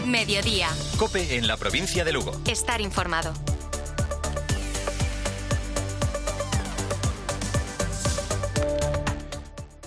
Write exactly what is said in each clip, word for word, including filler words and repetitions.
Mediodía. COPE en la provincia de Lugo. Estar informado.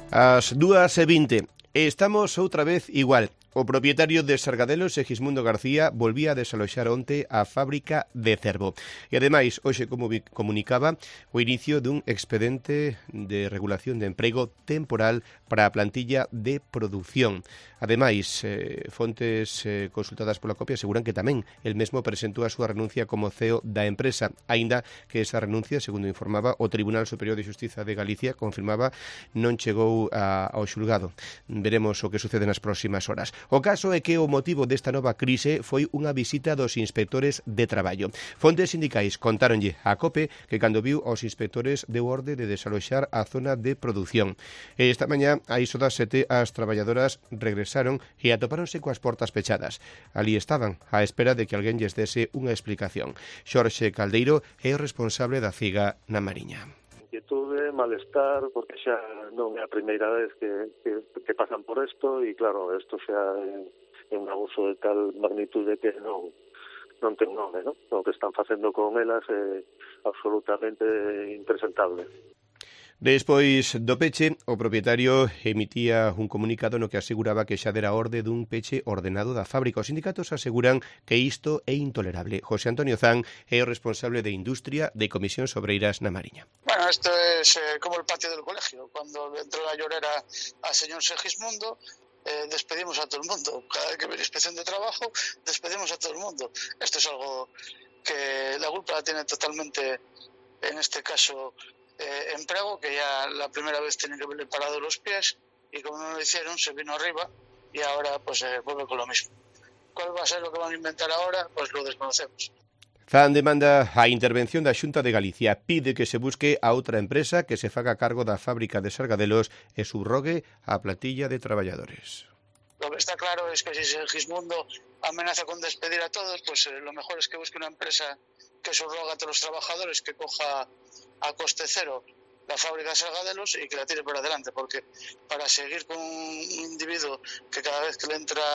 As dúas e vinte. Estamos outra vez igual. O propietario de Sargadelos, Segismundo García, volvía a desaloxar onte a fábrica de Cervo. E ademais, hoxe como comunicaba, o inicio dun expediente de regulación de emprego temporal para a plantilla de produción. Ademais, eh, fontes eh, consultadas pola copia aseguran que tamén el mesmo presentou a súa renuncia como C E O da empresa, aínda que esa renuncia, segundo informaba o Tribunal Superior de Xustiza de Galicia, confirmaba non chegou a, ao xulgado. Veremos o que sucede nas próximas horas. O caso é que o motivo desta nova crise foi unha visita dos inspectores de traballo. Fontes sindicais contáronlle a COPE que cando viu aos inspectores deu orde de desaloxar a zona de produción. Esta mañá, a iso das sete, as traballadoras regresaron e atopáronse coas portas pechadas. Ali estaban, á espera de que alguén lles dese unha explicación. Xorxe Caldeiro é o responsable da CIGA na Mariña. Inquietude, malestar, porque xa non é a primeira vez que, que, que pasan por isto e claro, isto xa é un abuso de tal magnitude que non non ten nome, non? O que están facendo con elas é absolutamente impresentable. Despois do peche, o propietario emitía un comunicado no que aseguraba que xa dera orde dun peche ordenado da fábrica. Os sindicatos aseguran que isto é intolerable. José Antonio Zan é o responsable de Industria de Comisións Obreiras na Mariña. Bueno, esto es eh, como el patio del colegio. Cuando entró la llorera al señor Segismundo, eh, despedimos a todo el mundo. Cada vez que viene inspección de trabajo, despedimos a todo el mundo. Esto es algo que la culpa la tiene totalmente, en este caso, Eh, emprego, que ya la primera vez tenía que haberle parado los pies y como no lo hicieron se vino arriba y ahora pues eh, vuelve con lo mismo. ¿Cuál va a ser lo que van a inventar ahora? Pues lo desconocemos. Zan demanda a intervención da Xunta de Galicia, pide que se busque a outra empresa que se faga cargo da fábrica de Sargadelos e subrogue a plantilla de traballadores. Lo que está claro es que si Segismundo amenaza con despedir a todos, pues eh, lo mejor es que busque una empresa que subroga a todos los trabajadores, que coja a coste cero la fábrica de Sargadelos y que la tire por adelante, porque para seguir con un individuo que cada vez que le entra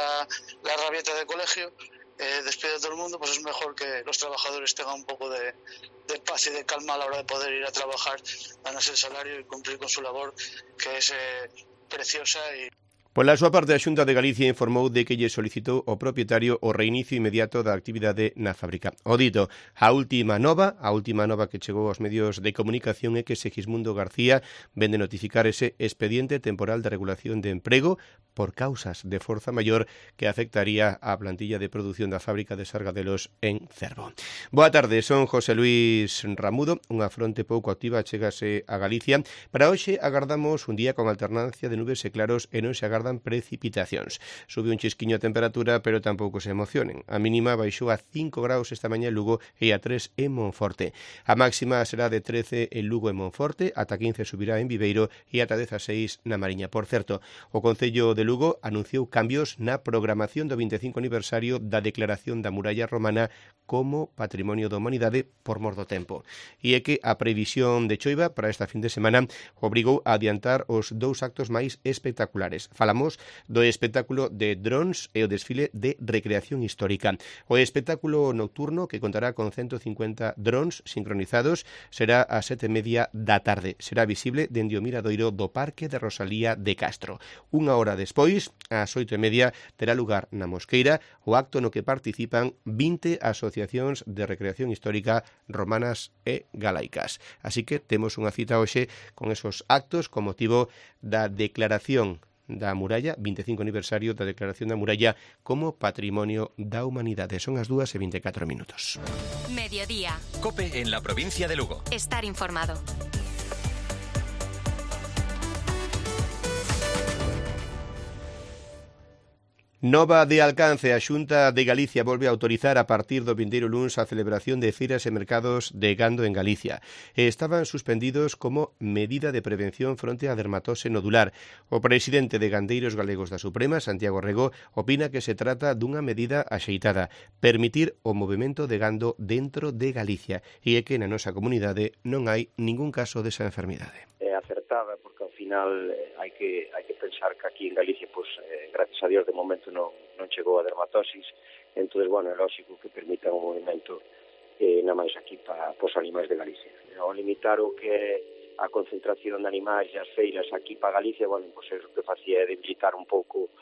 la rabieta de colegio eh, despide a todo el mundo, pues es mejor que los trabajadores tengan un poco de, de paz y de calma a la hora de poder ir a trabajar, ganarse el salario y cumplir con su labor, que es eh, preciosa. Y Pola súa parte, a Xunta de Galicia informou de que lle solicitou ao propietario o reinicio inmediato da actividade na fábrica. O dito, a última nova, a última nova que chegou aos medios de comunicación é que Segismundo García vende notificar ese expediente temporal de regulación de emprego por causas de forza maior que afectaría a plantilla de produción da fábrica de Sargadelos en Cervo. Boa tarde, son José Luis Ramudo, unha fronte pouco activa chegase a Galicia. Para hoxe agardamos un día con alternancia de nubes e claros e non se agarda dan precipitacións. Sube un chisquiño a temperatura, pero tampouco se emocionen. A mínima baixou a cinco graus esta mañá en Lugo e a tres en Monforte. A máxima será de trece en Lugo e Monforte, ata quince subirá en Viveiro e ata dezaseis na Mariña. Por certo, o Concello de Lugo anunciou cambios na programación do vinte e cinco aniversario da declaración da muralla romana como Patrimonio da Humanidade por mor do tempo. E é que a previsión de choiva para esta fin de semana obrigou a adiantar os dous actos máis espectaculares. Falamos do espectáculo de drons e o desfile de recreación histórica. O espectáculo nocturno, que contará con ciento cincuenta drons sincronizados, será a sete e media da tarde. Será visible dende o miradoiro do Parque de Rosalía de Castro. Unha hora despois, ás oito e media, terá lugar na Mosqueira o acto no que participan vinte asociacións de recreación histórica romanas e galaicas. Así que temos unha cita hoxe con esos actos con motivo da declaración da muralla, vinte e cinco aniversario da declaración da muralla como Patrimonio da Humanidade. Son as dúas e vinte e catro minutos. Mediodía. COPE en la provincia de Lugo. Estar informado. Nova de alcance, a Xunta de Galicia volve a autorizar a partir do vindeiro luns a celebración de feiras e mercados de gando en Galicia. Estaban suspendidos como medida de prevención fronte á dermatose nodular. O presidente de Gandeiros Galegos da Suprema, Santiago Rego, opina que se trata dunha medida axeitada, permitir o movimento de gando dentro de Galicia, e é que na nosa comunidade non hai ningún caso desa enfermidade. É acertada porque ao final eh, hai que hai que pensar que aquí en Galicia, pues, eh, gracias a Dios de momento non, non chegou a dermatosis, entón, bueno, é lógico que permita un movimento eh, na máis aquí para os animais de Galicia. Ao limitar o que é a concentración de animais e as feiras aquí para Galicia, bueno, pois é o que facía é debilitar un pouco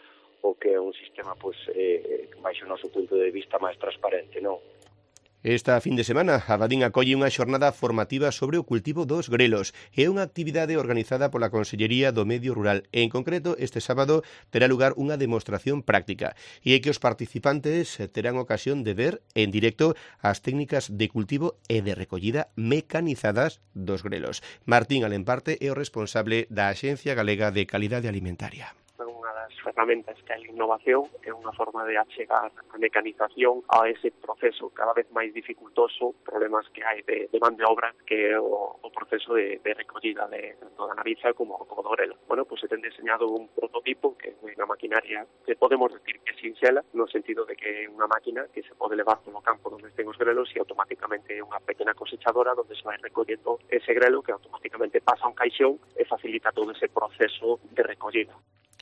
o que é un sistema, pois, eh, baixo o noso punto de vista máis transparente, non? Esta fin de semana, Abadín acolle unha xornada formativa sobre o cultivo dos grelos. É unha actividade organizada pola Consellería do Medio Rural. En concreto, este sábado terá lugar unha demostración práctica e é que os participantes terán ocasión de ver en directo as técnicas de cultivo e de recollida mecanizadas dos grelos. Martín Alemparte é o responsable da Axencia Galega de Calidade Alimentaria. Unha das ferramentas que é a innovación, é unha forma de achegar a mecanización a ese proceso cada vez máis dificultoso, problemas que hai de, de man de obra, que é o, o proceso de, de recollida de toda a nariza como, como do grelo. Bueno, pues se ten diseñado un prototipo que é unha maquinaria que podemos decir que é sinxela, no sentido de que é unha máquina que se pode levar polo campo onde estén os grelos e automáticamente é unha pequena cosechadora onde se vai recollendo ese grelo que automáticamente pasa a un caixón e facilita todo ese proceso de recollida.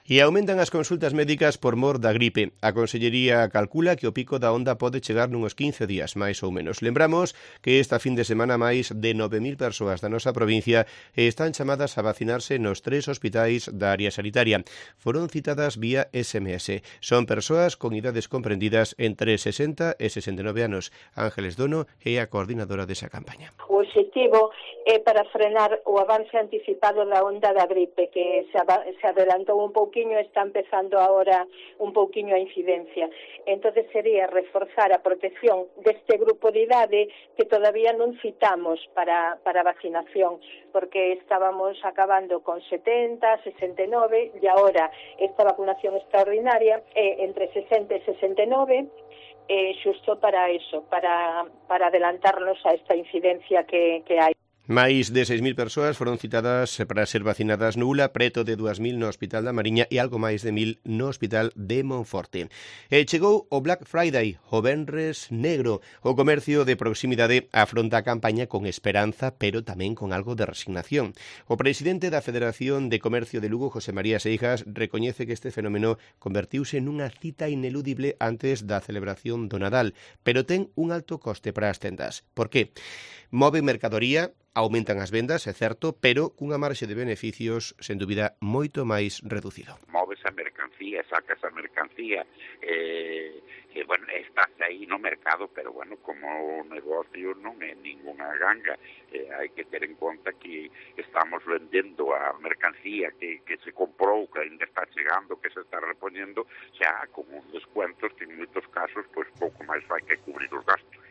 E aumentan as consultas médicas por mor da gripe. A Consellería calcula que o pico da onda pode chegar nuns quince días, máis ou menos. Lembramos que esta fin de semana máis de nove mil persoas da nosa provincia están chamadas a vacinarse nos tres hospitais da área sanitaria. Foron citadas vía S M S. Son persoas con idades comprendidas entre sesenta e sesenta e nove anos. Ángeles Dono é a coordinadora desa campaña. O objetivo é para frenar o avance anticipado da onda da gripe, que se adelantou un pouquinho, está empezando ahora un pouquiño a incidencia. Entonces sería reforzar a protección deste grupo de idade que todavía non citamos para, para vacinación, porque estábamos acabando con setenta, sesenta e nove, e agora esta vacunación extraordinaria é entre sesenta e sesenta e nove, eh, xusto para eso, para, para adelantarnos a esta incidencia que, que hai. Máis de seis mil persoas foron citadas para ser vacinadas no U L A, preto de dúas mil no Hospital da Mariña e algo máis de mil no Hospital de Monforte. E chegou o Black Friday, o Venres Negro. O comercio de proximidade afronta a campaña con esperanza, pero tamén con algo de resignación. O presidente da Federación de Comercio de Lugo, José María Seijas, recoñece que este fenómeno convertiuse nunha cita ineludible antes da celebración do Nadal, pero ten un alto coste para as tendas. Por que? Move mercadoría, aumentan as vendas, é certo, pero cunha marxe de beneficios, sen dúbida, moito máis reducido. Moves a mercancía, sacas a mercancía, eh, e, bueno, estás aí no mercado, pero, bueno, como o negocio non é ninguna ganga, eh, hai que ter en conta que estamos vendendo a mercancía que, que se comprou, que ainda está chegando, que se está repoñendo, xa con uns descuentos que en moitos casos, pois, pouco máis vai que cubrir os gastos.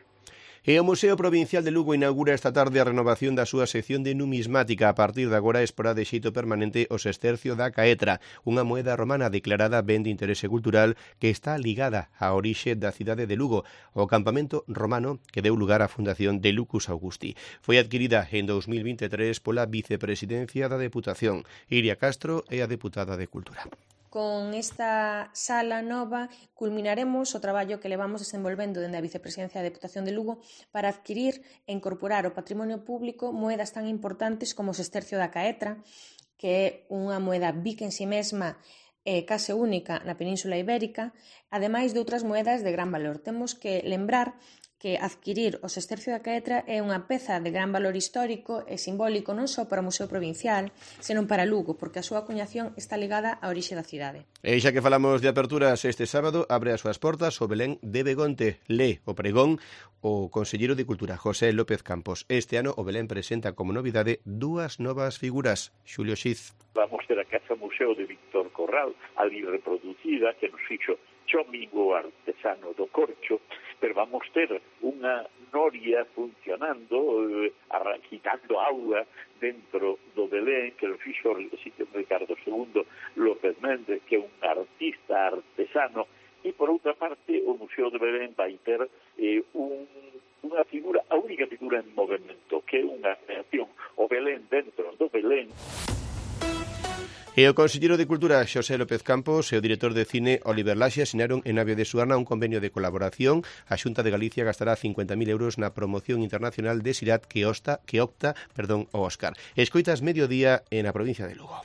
E o Museo Provincial de Lugo inaugura esta tarde a renovación da súa sección de numismática. A partir de agora exporá de xeito permanente o sextercio da caetra, unha moeda romana declarada ben de interese cultural que está ligada á orixe da cidade de Lugo, o campamento romano que deu lugar á fundación de Lucus Augusti. Foi adquirida en dous mil vinte e tres pola vicepresidencia da Deputación. Iria Castro é a deputada de Cultura. Con esta sala nova culminaremos o traballo que levamos desenvolvendo dende a Vicepresidencia da Deputación de Lugo para adquirir e incorporar ao patrimonio público moedas tan importantes como o sextercio da caetra, que é unha moeda bica en si mesma e case única na Península Ibérica, ademais de outras moedas de gran valor. Temos que lembrar que adquirir o sextercio da caetra é unha peza de gran valor histórico e simbólico non só para o Museo Provincial, senón para Lugo, porque a súa acuñación está ligada á orixe da cidade. E xa que falamos de aperturas, este sábado abre as súas portas o Belén de Begonte. Lé o pregón o conselleiro de Cultura, José López Campos. Este ano o Belén presenta como novidade dúas novas figuras. Xulio Xiz. Vamos ter a Casa Museo de Víctor Corral, ali reproducida, que nos fixo Chomigo, artesano do Corcho, pero vamos ter unha noria funcionando, eh, quitando auga dentro do Belén, que lo fixo Ricardo segundo López Méndez, que é un artista artesano, e por outra parte o Museo de Belén vai ter eh, un, unha figura, a única figura en movimento, que é unha creación, o Belén dentro do Belén. E o conselleiro de Cultura, Xosé López Campos, e o director de cine, Oliver Laxe, asinaron en Navia de Suarna un convenio de colaboración. A Xunta de Galicia gastará cincuenta mil euros na promoción internacional de Sirat que, osta, que opta perdón, ao Óscar. Escoitas mediodía en a provincia de Lugo.